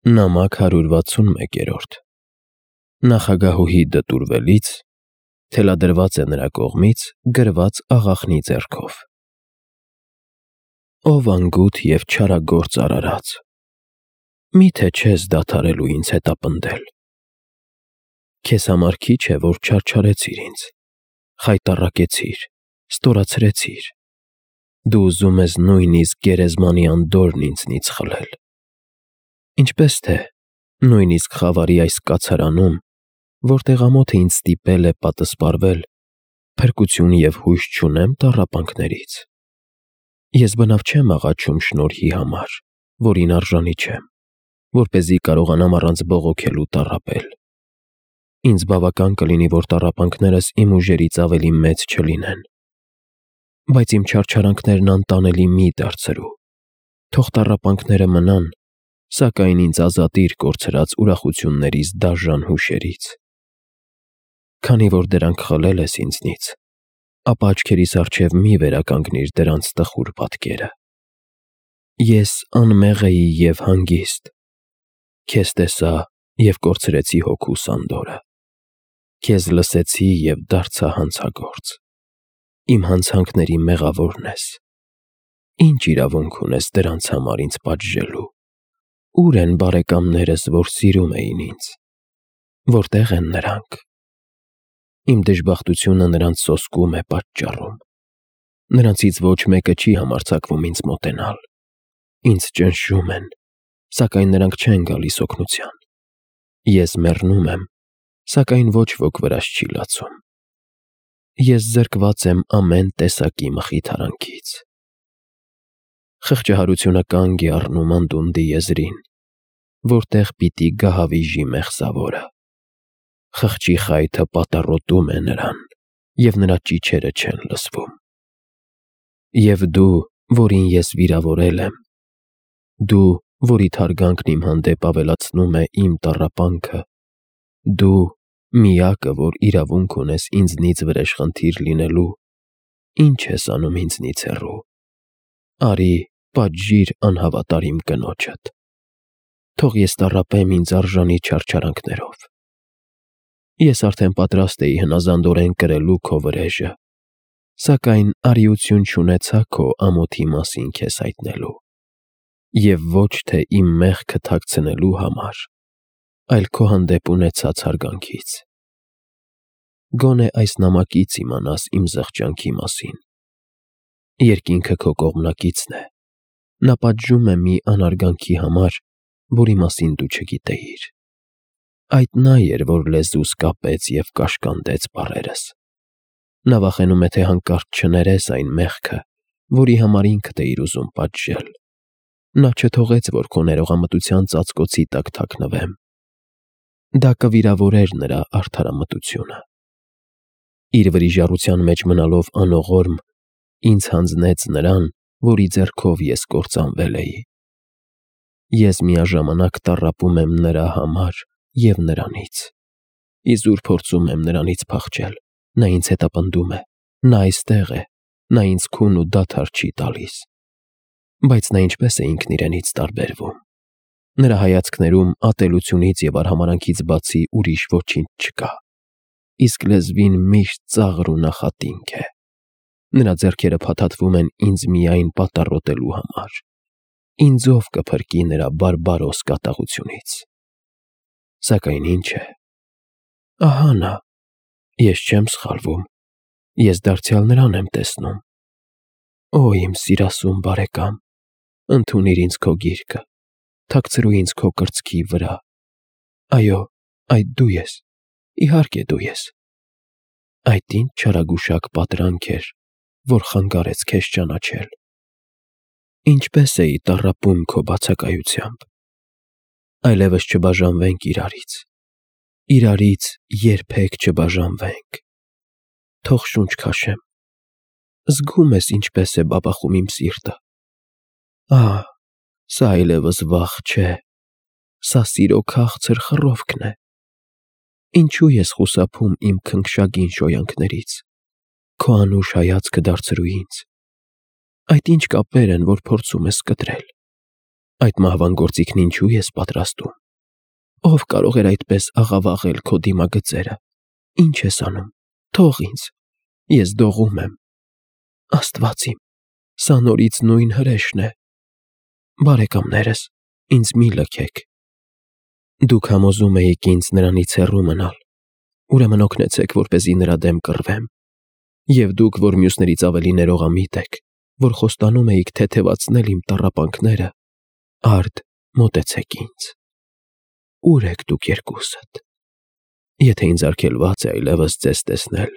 Նամակ 161 Նախագահուհի դտուրվելից թելադրված է նրա կողմից գրված աղախնի ձեռքով։ Ով անգութ և չարագործ արարած, միթե չես դադարելու ինձ հետապնդել։ Քեզ համար քիչ է, որ չարչարեցիր ինձ, խայտառակեցիր, ստորացրեցիր։ Դու ուզում ես նույնիսկ գերեզմանի անդորրն ինձնից խլել։ Ինչպես թե նույնիսկ խավարի այս կացարանում, որտեղ ամոթը ինձ ստիպել է պատսպարվել, փրկություն և հույս չունեմ տառապանքներից։ Ես բնավ չեմ աղաչում շնորհի համար, որին արժանի չեմ, որպեսզի կարողանամ առանց բողոքելու տառապել։ Ինձ բավական կլինի, որ տառապանքներս իմ ուժերից ավելի մեծ չլինեն։ Բայց իմ չարչարանքներն անտանելի մի դարձրու։ Թող տառապանքները մնան, սակայն ինձ ազատիր կորցրած ուրախություններիս դաժան հուշերից։ Քանի որ դրանք խլել ես ինձնից, ապա աչքերիս առջև մի վերականգնիր դրանց տխուր պատկերը։ Ես անմեղ էի և հանգիստ։ Քեզ տեսա և կորցրեցի հոգուս անդորրը։ Քեզ լսեցի և դարձա հանցագործ։ Իմ հանցանքների մեղավորն ես։ Ինչ իրավունք ունես դրանց համար ինձ պատժելու։ Ո՞ւր են բարեկամներս, որ սիրում էին ինձ։ Որտե՞ղ են նրանք։ Իմ դժբախտությունը նրանց սոսկում է պատճառում։ Նրանցից ոչ մեկը չի համարձակվում ինձ մոտենալ։ Ինձ ճնշում են, սակայն նրանք չեն գալիս օգնության։ Ես մեռնում եմ, սակայն ոչ ոք վրաս չի լացում։ Ես զրկված եմ ամեն տեսակի մխիթարանքից։ Խղճահարությունը կանգ է առնում անդունդի եզրին, որտեղ պիտի գահավիժի մեղսավորը։ Խղճի խայթը պատառոտում է նրան, և նրա ճիչերը չեն լսվում։ Եվ դու, որին ես վիրավորել եմ, դու, որի թարգանքն իմ հանդեպ ավելացնում է իմ տառապանքը, դու, միակը, որ իրավունք ունես ինձնից վրեժխնդիր լինելու, ի՞նչ ես անում ինձնից հեռու։ Արի, պատժիր անհավատար իմ կնոջդ։ Թող ես տառապեմ ինձ արժանի չարչարանքներով։ Ես արդեն պատրաստ էի հնազանդորեն կրելու քո վրեժը, սակայն արիություն չունեցա քո ամոթի մասին քեզ հայտնելու, և ոչ թե իմ մեղքը թաքցնելու համար, այլ քո հանդեպ ունեցած հարգանքից։ Գոնե այս նամակից իմանաս իմ զղջանքի մասին։ Երկինքը քո կողմնակիցն է։ Նա պատժում է մի անարգանքի համար, որի մասին դու չգիտեիր։ Այդ նա էր, որ լեզուս կապեց և կաշկանդեց բառերս։ Նա վախենում է, թե հանկարծ չներես այն մեղքը, որի համար ինքդ էիր ուզում պատժել։ Նա չթողեց, որ քո ներողամտության ծածկոցի տակ թաքնվեմ։ Դա կվիրավորեր նրա արդարամտությունը։ Իր վրիժառության մեջ մնալով անողորմ, ինձ հանձնեց նրան, որի ձեռքով ես կործանվել էի։ Ես միաժամանակ տառապում եմ նրա համար և նրանից։ Իզուր փորձում եմ նրանից փախչել։ Նա ինձ հետապնդում է։ Նա այստեղ է։ Նա ինձ քուն ու դադար չի տալիս։ Բայց նա ինչպես է ինքն իրենից տարբերվում։ Նրա հայացքներում ատելությունից և արհամարհանքից բացի ուրիշ ոչինչ չկա։ Իսկ լեզվին միշտ ծաղր ու նախատինք է։ Նրա ձեռքերը փաթաթվում են ինձ միայն պատառոտելու համար։ Ինձ ով կփրկի նրա բարբարոս կատաղությունից։ Սակայն ինչ է։ Ահա նա։ Ես չեմ սխալվում։ Ես դարձյալ նրան եմ տեսնում։ Օ, իմ սիրասուն բարեկամ, ընդունիր ինձ քո գիրկը, թաքցրու ինձ քո կրծքի վրա։ Այո, այդ դու ես, իհարկե դու ես։ Այդ ինչ չարագուշակ պատրանք էր, որ խանգարեց քեզ ճանաչել։ Ինչպես էի տառապում քո բացակայությամբ։ Այլևս չբաժանվենք իրարից։ Իրարից երբեք չբաժանվենք։ Թող շունչ քաշեմ։ Զգում ես ինչպես է բաբախում իմ սիրտը։ Ահ, սա այլևս վախ չէ։ Սա սիրո քաղցր խռովքն է։ Ինչու ես խուսափում իմ քնքշագին շոյանքներից։ Քո անուշ հայացքը դարձրու ինձ։ Այդ ինչ կապեր են, որ փորձում ես կտրել։ Այդ մահվան գործիքն ինչու ես պատրաստում։ Ով կարող էր այդպես աղավաղել քո դիմագծերը։ Ինչ ես անում։ Թող ինձ։ Ես դողում եմ։ Աստված իմ, սա նորից նույն հրեշն է։ Բարեկամներս, ինձ մի լքեք։ Դուք համոզում էիք ինձ նրանից հեռու մնալ։ Ուրեմն օգնեցեք, որպեսզի նրա դեմ կռվեմ։ Եվ դուք, որ մյուսներից ավելի ներողամիտ եք, որ խոստանում էիք թեթևացնել իմ տառապանքները, արդ մոտեցեք ինձ։ Ուր եք դուք երկուսդ։ Եթե ինձ արգելված է այլևս ձեզ տեսնել,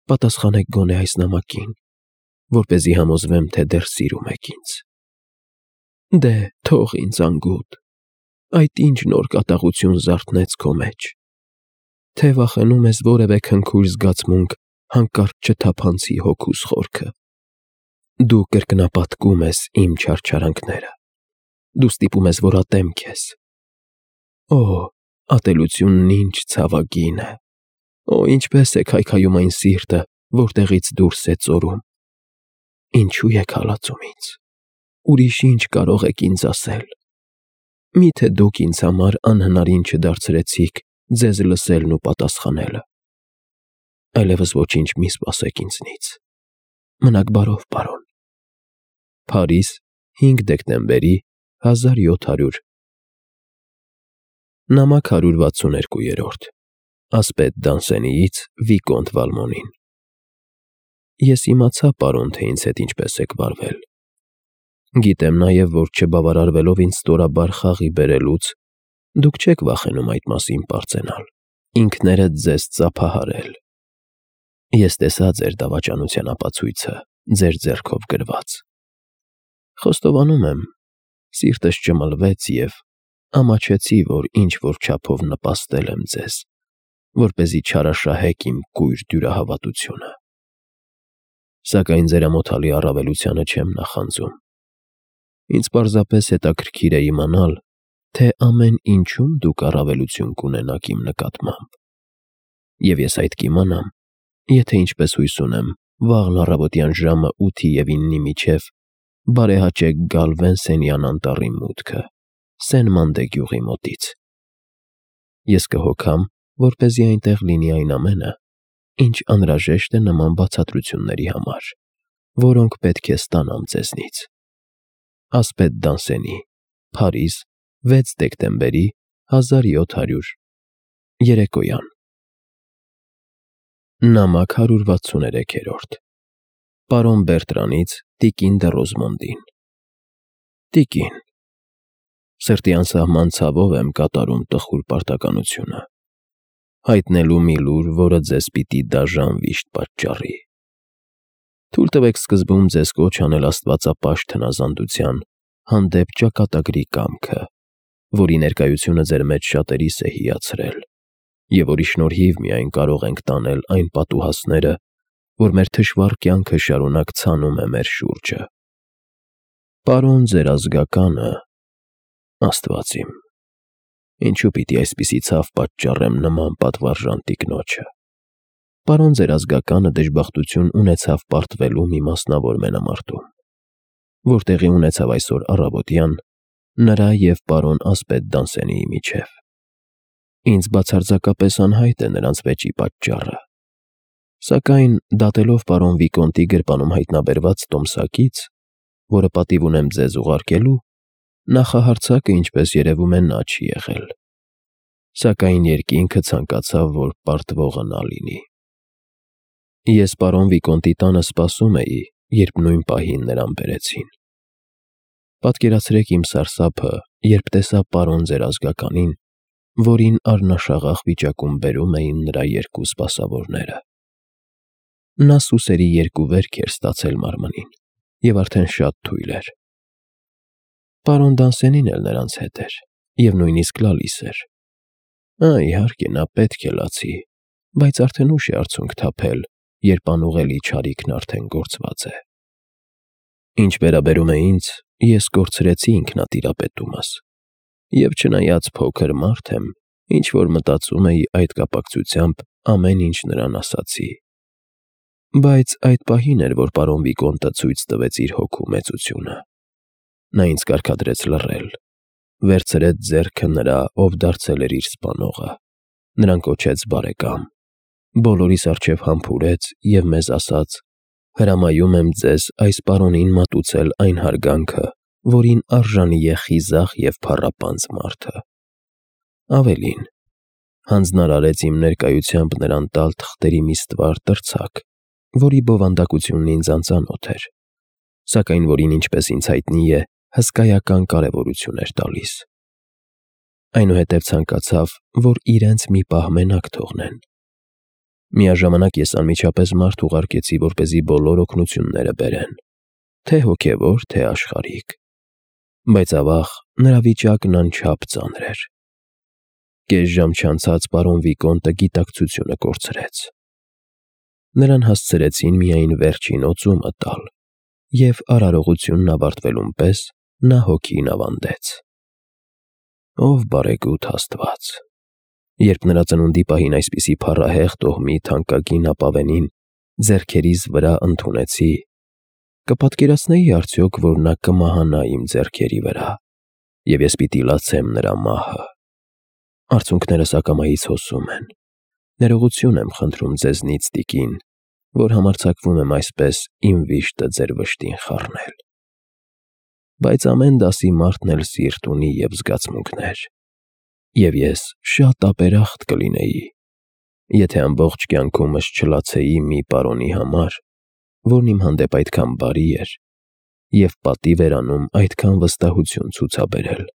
պատասխանեք գոնե այս նամակին, որպեսզի համոզվեմ, թե դեռ սիրում եք ինձ։ Դե, թող ինձ անգութ, այդ ինչ նոր կատաղություն զարթնեց քո մեջ։ Թե վախենում ես որևէ քնքուշ զգացմունք հանկարծ չթափանցի հոգուս խորքը։ Դու կրկնապատկում ես իմ չարչարանքները։ Դու ստիպում ես, որ ատեմ քեզ։ Օ, ատելությունն ինչ ցավագին է։ Օ, ինչպես է քայքայում այն սիրտը, որտեղից դուրս է ծորում։ Ինչու եք հալածում ինձ։ Ուրիշ ինչ կարող եք ինձ ասել։ Միթե դուք ինձ համար անհնարին չդարձրեցիք ձեզ լսելն ու պատասխանելը։ Այլևս ոչինչ մի սպասեք ինձնից։ Մնաք բարով, պարոն։ Փարիզ, 5 դեկտեմբերի 1700։ Նամակ 162-րդ Ասպետ Դանսենիից Վիկոնտ Վալմոնին։ Ես իմացա, պարոն, թե ինձ հետ ինչպես եք վարվել։ Գիտեմ նաև, որ չբավարարվելով ինձ ստորաբար խաղի բերելուց, դուք չեք վախենում այդ մասին պարծենալ, ինքներդ ձեզ ծափահարել։ Ես տեսա ձեր դավաճանության ապացույցը, ձեր ձեռքով գրված։ Խոստովանում եմ, սիրտս ճմլվեց և ամաչեցի, որ ինչ-որ չափով նպաստել եմ ձեզ, որպեսզի չարաշահեք իմ կույր դյուրահավատությունը։ Սակայն ձեր ամոթալի առավելությանը չեմ նախանձում։ Ինձ պարզապես հետաքրքիր է իմանալ, թե ամեն ինչում դուք առավելություն կունենաք իմ նկատմամբ։ Եվ ես այդ կիմանամ, եթե ինչպես հույս ունեմ, վաղն առավոտյան ժամը 8-ի և 9-ի միջև բարեհաճեք գալ Վենսենյան անտառի մուտքը, Սեն-Մանդե գյուղի մոտից։ Ես կհոգամ, որպեսզի այնտեղ լինի այն ամենը, ինչ անհրաժեշտ է նման բացատրությունների համար, որոնք պետք է ստանամ ձեզնից։ Ասպետ Դանսենի, Փարիզ, 6 դեկտեմբերի 1700 Երեկոյան։ Նամակ 163-րդ Պարոն Բերտրանից տիկին դը Ռոզմոնդին։ Տիկին, սրտի անսահման ցավով եմ կատարում տխուր պարտականությունը, հայտնելու մի լուր, որը ձեզ պիտի դաժան վիշտ պատճառի։ Թույլ տվեք սկզբում ձեզ կոչ անել աստվածապաշտ հնազանդության հանդեպ ճակատագրի կամքը, որի ներկայությունը ձեր մեջ շատերիս է հիացրել, և որի շնորհիվ միայն կարող ենք տանել այն պատուհասները, որ մեր թշվառ կյանքը շարունակ ցանում է մեր շուրջը։ Պարոն ձեր ազգականը, Աստված իմ, ինչու պիտի այսպիսի ցավ պատճառեմ նման պատվարժան տիկնոջը։ Պարոն ձեր ազգականը դժբախտություն ունեցավ պարտվելու մի մասնավոր մենամարտում, որ տեղի ունեցավ այսօր առավոտյան նրա և պարոն ասպետ Դանսենիի միջև։ Ինձ բացարձակապես անհայտ է նրանց վեճի պատճառը, սակայն դատելով պարոն Վիկոնտի գրպանում հայտնաբերված տոմսակից, որը պատիվ ունեմ ձեզ ուղարկելու, նախահարձակը, ինչպես երևում է, նա չի եղել, սակայն երկինքը ցանկացավ, որ պարտվողը նա լինի։ Ես պարոն Վիկոնտի տանը սպասում էի, երբ նույն պահին նրան բերեցին։ Պատկերացրեք իմ սարսափը, երբ տեսա պարոն ձեր ազգականին, որին առնաշաղախ վիճակում բերում էին նրա երկու սպասավորները։ Նա սուսերի 2 վերք էր ստացել մարմնին և արդեն շատ թույլ էր։ Պարոն Դանսենին էլ նրանց հետ էր և նույնիսկ լալիս էր։ Իհարկե, նա պետք է լացի, բայց արդեն ուշ է արցունք թափել, երբ անուղելի չարիքն արդեն գործված է։ Ինչ վերաբերում է ինձ, ես կորցրեցի ինքնատիրապետումս, և չնայած փոքր մարդ եմ, ինչ-որ մտածում էի այդ կապակցությամբ ամեն ինչ նրան ասացի։ Բայց այդ պահին էր, որ պարոն Վիկոնտը ցույց տվեց իր հոգու մեծությունը։ Նա ինձ կարգադրեց լռել, վերցրեց ձեռքը նրա, ով դարձել էր իր սպանողը, նրան կոչեց բարեկամ, բոլորիս առջև համբուրեց և մեզ ասաց. «Հրամայում եմ ձեզ այս պարոնին մատուցել այն հարգանքը, որին արժանի է խիզախ և փառապանծ մարդը»։ Ավելին, հանձնարարեց իմ ներկայությամբ նրան տալ թղթերի մի ստվար տրցակ, որի բովանդակությունն ինձ անծանոթ էր, սակայն որին, ինչպես ինձ հայտնի է, հսկայական կարևորություն էր տալիս։ Այնուհետև ցանկացավ, որ իրենց մի պահ մենակ թողնեն։ Միաժամանակ ես անմիջապես մարդ ուղարկեցի, որպեսզի բոլոր օգնությունները բերեն, թե հոգևոր, թե աշխարհիկ, բայց ավաղ նրա վիճակն անչափ ծանր էր։ Կես ժամ չանցած պարոն Վիկոնտը գիտակցությունը կորցրեց։ Նրան հասցրեցին միայն վերջին օծումը տալ, և արարողությունն ավարտվելուն պես նա հոգին ավանդեց։ Ով բարեգութ Աստված, երբ նրա ծնունդի պահին այսպիսի փառահեղ տոհմի թանկագին ապավենին ձեռքերիս վրա ընդունեցի, կպատկերացնեի արդյոք, որ նա կմահանա իմ ձեռքերի վրա, և ես պիտի լացեմ նրա մահը։ Արցունքներս ակամայից հոսում են, ներողություն եմ խնդրում ձեզնից, տիկին, որ համարձակվում եմ այսպես իմ վիշտը ձեր վշտին խառնել։ Բայց ամեն դասի մարդն էլ սիրտ ունի և զգացմունքներ, և ես շատ ապերախտ կլինեի, եթե ամբողջ կյանքումս չլացեի մի պարոնի համար, որն իմ հանդեպ այդքան բարի էր և պատիվ էր անում այդքան վստահություն ցուցաբերել։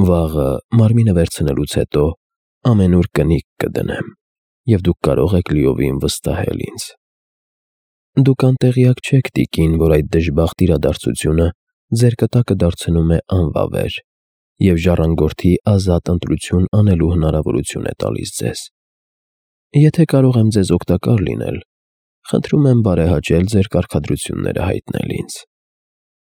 Վաղը մարմինը վերցնելուց հետո ամենուր կնիկ կդնեմ, և դուք կարող եք լիովին վստահել ինձ։ Դուք անտեղյակ չեք, տիկին, որ այդ դժբախտ իրադարձությունը ձեր կտակը դարձնում է անվավեր և ժառանգորդի ազատ ընտրություն անելու հնարավորություն է տալիս ձեզ։ Եթե կարող եմ ձեզ օգտակար լինել, խնդրում եմ բարեհաճել ձեր կարգադրությունները հայտնել ինձ։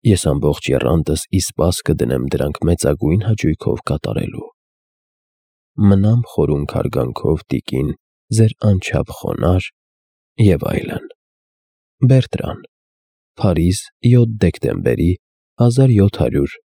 Ես ամբողջ եռանդս ի սպաս կդնեմ դրանք մեծագույն հաճույքով կատարելու։ Մնամ խորունգ հարգանքով, տիկին, ձեր անչափ խոնարհ և այլն։ Բերտրան, Փարիզ, 7 դեկտեմբերի 1700